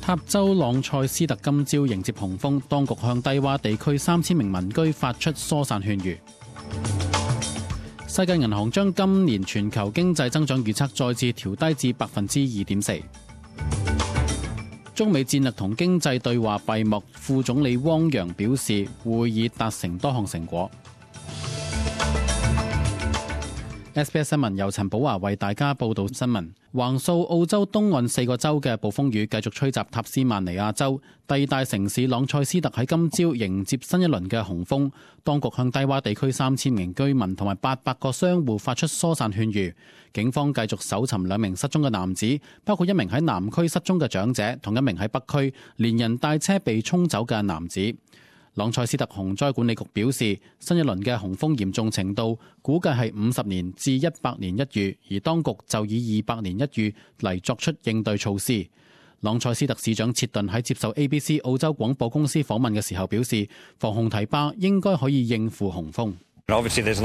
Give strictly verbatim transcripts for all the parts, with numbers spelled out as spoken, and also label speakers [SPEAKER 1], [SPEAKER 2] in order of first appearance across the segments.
[SPEAKER 1] 塔州朗塞斯特今朝迎接洪峰，當局向低洼地區三千名民居發出疏散勸喻。世界銀行將今年全球經濟增長預測再次調低至百分之二點四。中美戰略同經濟對話閉幕，副總理汪洋表示會議達成多項成果。S B S 新聞由陳寶華為大家報道新聞。橫掃澳洲東岸四個州嘅暴風雨繼續吹襲塔斯曼尼亞州，第二大城市朗塞斯特喺今朝迎接新一輪嘅洪峰。當局向低洼地區三千名居民同埋八百個商戶發出疏散勸喻。警方繼續搜尋兩名失蹤嘅男子，包括一名喺南區失蹤嘅長者，同一名喺北區連人帶車被沖走嘅男子。朗塞斯特洪災管理局表示，新一輪嘅洪峰嚴重程度估計係五十年至一百年一遇，而當局就以二百年一遇嚟作出應對措施。朗塞斯特市長切頓喺接受 A B C 澳洲廣播公司訪問嘅時候表示，防洪堤壩應該可以應付洪峰。切頓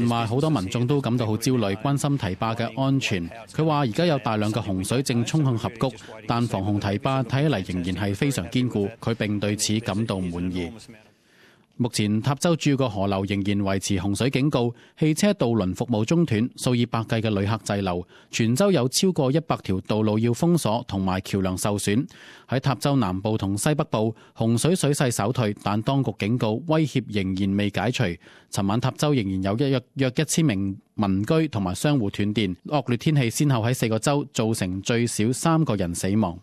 [SPEAKER 1] 話好多民眾都感到好焦慮，關心堤壩嘅安全。佢話而家有大量嘅洪水正衝向峽谷，但防洪堤壩睇起嚟仍然係非常堅固，佢並對此感到滿意。目前塔州主要個河流仍然維持洪水警告，汽車渡輪服務中斷，數以百計嘅旅客滯留，全州有超過一百條道路要封鎖，同埋橋梁受損。喺塔州南部同西北部，洪水水勢稍退，但當局警告威脅仍然未解除。尋晚塔州仍然有一約約一千名民居同埋商戶斷電，惡劣天氣先後喺四個州造成最少三個人死亡。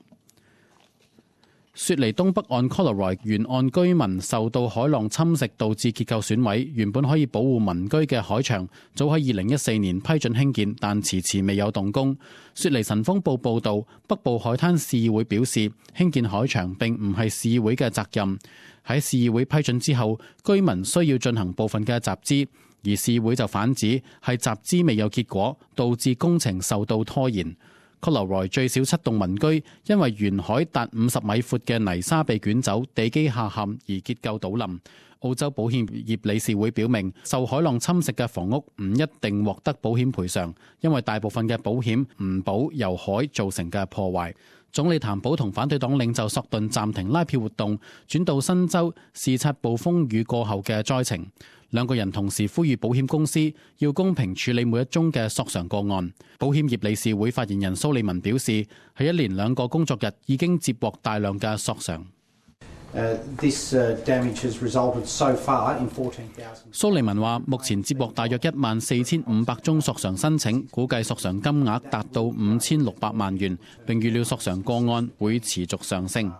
[SPEAKER 1] 雪梨東北岸 Collaroy 沿岸居民受到海浪侵蝕，導致結構損毀。原本可以保護民居嘅海牆，早喺二零一四年批准興建，但遲遲未有動工。雪梨晨鋒報報導，北部海灘市議會表示，興建海牆並唔係市議會嘅責任。喺市議會批准之後，居民需要進行部分嘅集資，而市議會就反指係集資未有結果，導致工程受到拖延。Collaroy 最少七棟民居因為沿海達五十米闊嘅泥沙被捲走，地基下陷而結構倒冧。澳洲保險業理事會表明，受海浪侵蝕嘅房屋唔一定獲得保險賠償，因為大部分嘅保險唔保由海造成嘅破壞。總理譚寶同反對黨領袖索頓暫停拉票活動，轉到新州視察暴風雨過後嘅災情。兩個人同時呼籲保險公司要公平處理每一宗嘅索償個案。保險業理事會發言人蘇利文表示，喺一連兩個工作日已經接獲大量嘅索償。
[SPEAKER 2] Uh, this, uh, damage has resulted so far in fourteen thousand.
[SPEAKER 1] 蘇利文話，目前接獲大約一萬四千五百宗索償申請，估計索償金額達到五千六百萬元，並預料索償個案會持續上升。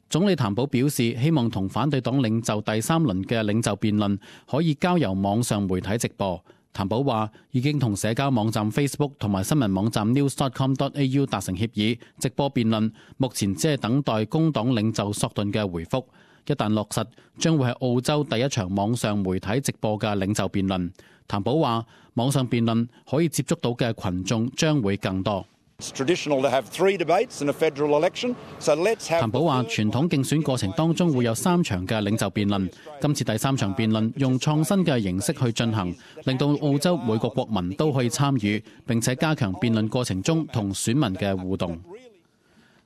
[SPEAKER 1] 總理譚寶表示，希望同反對黨領袖第三輪嘅領袖辯論可以交由網上媒體直播。譚寶話已經同社交網站 Facebook 同埋新聞網站 news dot com dot a u 達成協議，直播辯論，目前只係等待工黨領袖索頓嘅回覆。一旦落實，將會係澳洲第一場網上媒體直播嘅領袖辯論。譚寶話網上辯論可以接觸到嘅群眾將會更多。譚寶話傳統競選過程當中會有三場嘅領袖辯論，今次第三場辯論用創新嘅形式去進行，令到澳洲每個國民都可以參與，並且加強辯論過程中同選民嘅互動。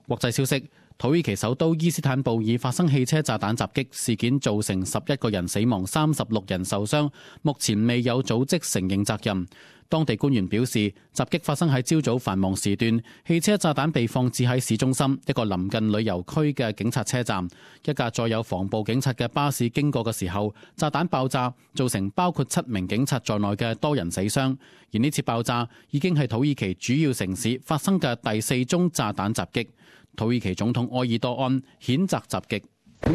[SPEAKER 1] 國際消息，土耳其首都伊斯坦布爾發生汽車炸彈襲擊事件，造成十一個人死亡，三十六人受傷，目前未有組織承認責任。當地官員表示，襲擊發生喺朝早繁忙時段，汽車炸彈被放置喺市中心一個臨近旅遊區嘅警察車站。一架載有防暴警察嘅巴士經過嘅時候，炸彈爆炸，造成包括七名警察在內嘅多人死傷。而呢次爆炸已經係土耳其主要城市發生嘅第四宗炸彈襲擊。土耳其總統埃爾多安譴責襲擊。埃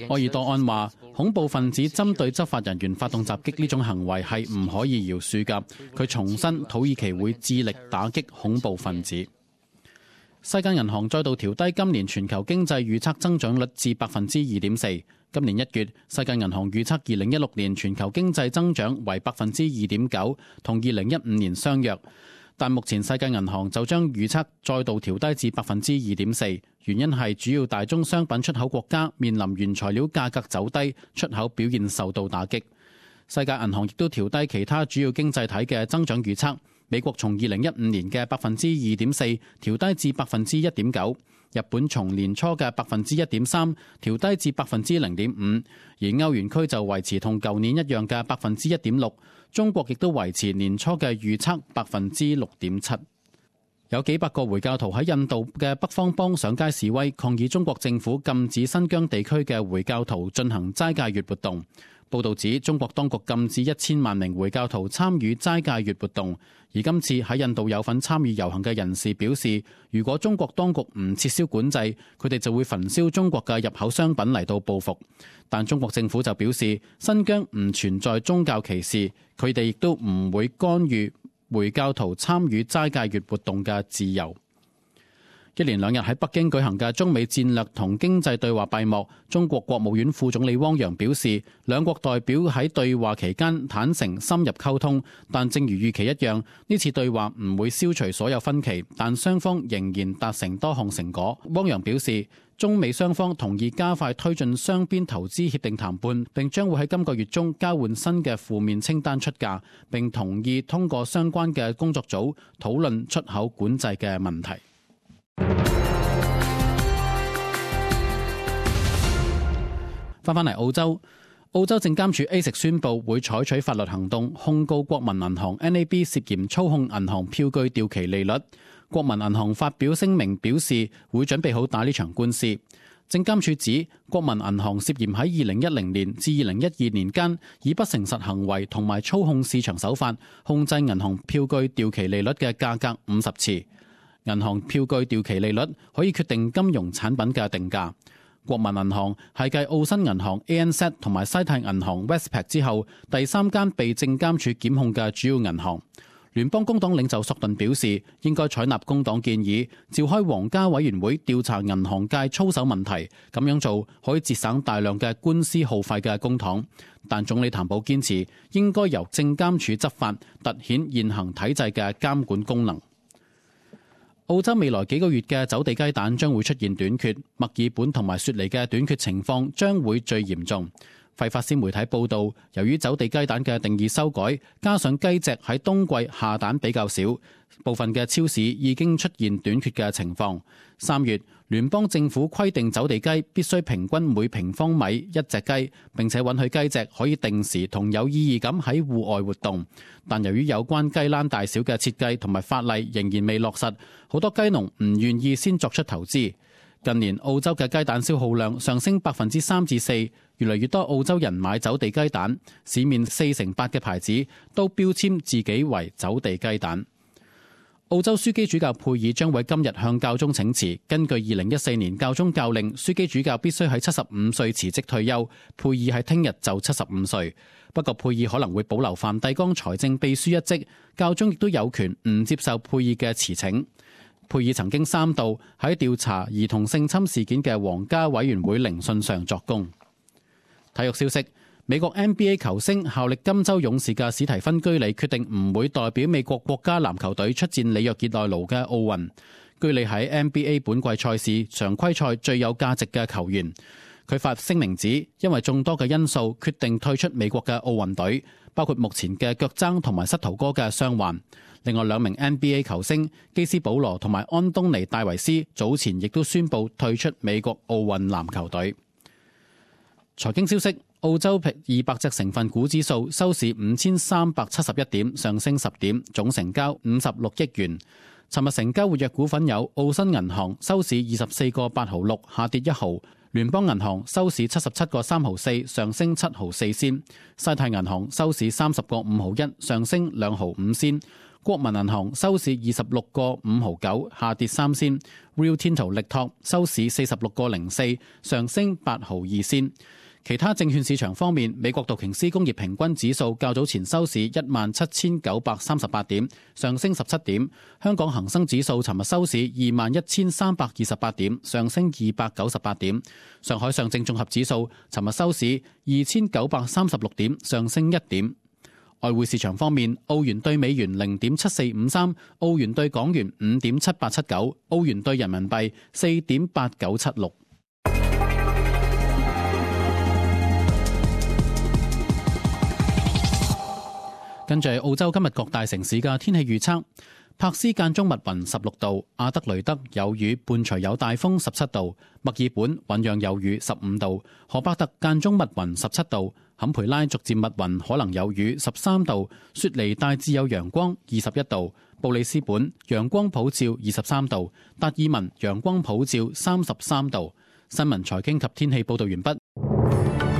[SPEAKER 1] 爾多安話，恐怖分子針對執法人員發動襲擊呢種行為係唔可以饒恕㗎。佢重申土耳其會致力打擊恐怖分子。世界銀行再度調低今年全球經濟預測增長率至百分之二點四。今年一月，世界銀行預測二零一六年全球經濟增長為百分之二點九，同二零一五年相若。但目前世界銀行就將預測再度調低至百分之二點四，原因係主要大宗商品出口國家面臨原材料價格走低，出口表現受到打擊。世界銀行亦都調低其他主要經濟體嘅增長預測。美國從二零一五年嘅百分之二點四調低至百分之一點九，日本從年初嘅百分之一點三調低至百分之零點五，而歐元區就維持同舊年一樣嘅百分之一點六。中國亦都維持年初嘅預測百分之六點七。有幾百個回教徒喺印度嘅北方邦上街示威，抗議中國政府禁止新疆地區嘅回教徒進行齋戒月活動。報導指，中國當局禁止一千萬名回教徒參與齋戒月活動。而今次喺印度有份參與遊行嘅人士表示，如果中國當局唔撤銷管制，佢哋就會焚燒中國嘅入口商品嚟到報復。但中國政府就表示，新疆唔存在宗教歧視，佢哋亦都唔會干預回教徒參與齋戒月活動嘅自由。一連兩日喺北京舉行嘅中美戰略同經濟對話閉幕，中國國務院副總理汪洋表示，兩國代表喺對話期間坦誠深入溝通，但正如預期一樣，呢次對話唔會消除所有分歧，但雙方仍然達成多項成果。汪洋表示，中美雙方同意加快推進雙邊投資協定談判，並將會喺今個月中交換新嘅負面清單出價，並同意通過相關嘅工作組討論出口管制嘅問題。翻返嚟澳洲，澳洲證監處 A 食宣布會採取法律行動，控告國民銀行 N A B 涉嫌操控銀行票據掉期利率。國民銀行發表聲明表示，會準備好打呢場官司。證監處指，國民銀行涉嫌喺二零一零年至二零一二年間，以不誠實行為同埋操控市場手法，控制銀行票據掉期利率嘅價格五十次。銀行票據掉期利率可以決定金融產品嘅定價。國民銀行係繼澳新銀行 A N Z 同埋西泰銀行 Westpac 之後，第三間被證監處檢控嘅主要銀行。聯邦工黨領袖索頓表示，應該採納工黨建議，召開皇家委員會調查銀行界操守問題，咁樣做可以節省大量嘅官司耗費嘅公帑。但總理譚寶堅持，應該由證監處執法，凸顯現行體制嘅監管功能。澳洲未來幾個月嘅走地雞蛋將會出現短缺，墨爾本同埋雪梨嘅短缺情況將會最嚴重。費法斯媒體報道，由於走地雞蛋嘅定義修改，加上雞隻喺冬季下蛋比較少，部分嘅超市已經出現短缺嘅情況。三月，聯邦政府規定走地雞必須平均每平方米一隻雞，並且允許雞隻可以定時同有意義咁喺戶外活動。但由於有關雞欄大小嘅設計同埋法例仍然未落實，好多雞農唔願意先作出投資。近年澳洲嘅雞蛋消耗量上升百分之三至四，越嚟越多澳洲人買走地雞蛋，市面四成八嘅牌子都標籤自己為走地雞蛋。澳洲樞機主教佩爾將會今日向教宗請辭。根據二零一四年教宗教令，樞機主教必須喺七十五歲辭職退休。佩爾喺聽日就七十五歲，不過佩爾可能會保留梵蒂岡財政秘書一職，教宗亦都有權唔接受佩爾嘅辭請。佩爾曾經三度喺調查兒童性侵事件嘅皇家委員會聆訊上作供。體育消息，美國 N B A 球星效力金州勇士嘅史提芬居里決定唔會代表美國國家籃球隊出戰里約熱內盧嘅奧運。居里喺 N B A 本季賽事常規賽最有價值嘅球員。佢發聲明指，因為眾多嘅因素決定退出美國嘅奧運隊，包括目前嘅腳踭同埋膝頭哥嘅傷患。另外兩名 N B A 球星基斯保羅同埋安東尼戴維斯早前亦都宣布退出美國奧運籃球隊。財經消息，澳洲二百隻成分股指數收市五千三百七十一點，上升十點，總成交五十六億元。尋日成交活躍股份有澳新銀行收市二十四個八毫六，下跌一毫；聯邦銀行收市七十七個三毫四，上升七毫四仙；西泰銀行收市三十個五毫一，上升兩毫五仙；國民銀行收市二十六個五毫九，下跌三仙；Rio Tinto 力拓收市四十六個零四，上升八毫二仙。其他證券市場方面，美國道瓊斯工業平均指數較早前收市一萬七千九百三十八點，上升十七點；香港恒生指數尋日收市二萬一千三百二十八點，上升二百九十八點；上海上證綜合指數尋日收市二千九百三十六點，上升一點。外匯市場方面，澳元對美元零點七四五三，澳元對港元五點七八七九，澳元對人民幣四點八九七六。跟住澳洲今日各大城市嘅天氣預測：柏斯間中密雲十六度，阿德雷德有雨伴隨有大風十七度，墨爾本醞釀有雨十五度，荷伯特間中密雲十七度，坎培拉逐漸密雲可能有雨十三度，雪梨大致有陽光二十一度，布里斯本陽光普照二十三度，達爾文陽光普照三十三度。新聞財經及天氣報道完畢。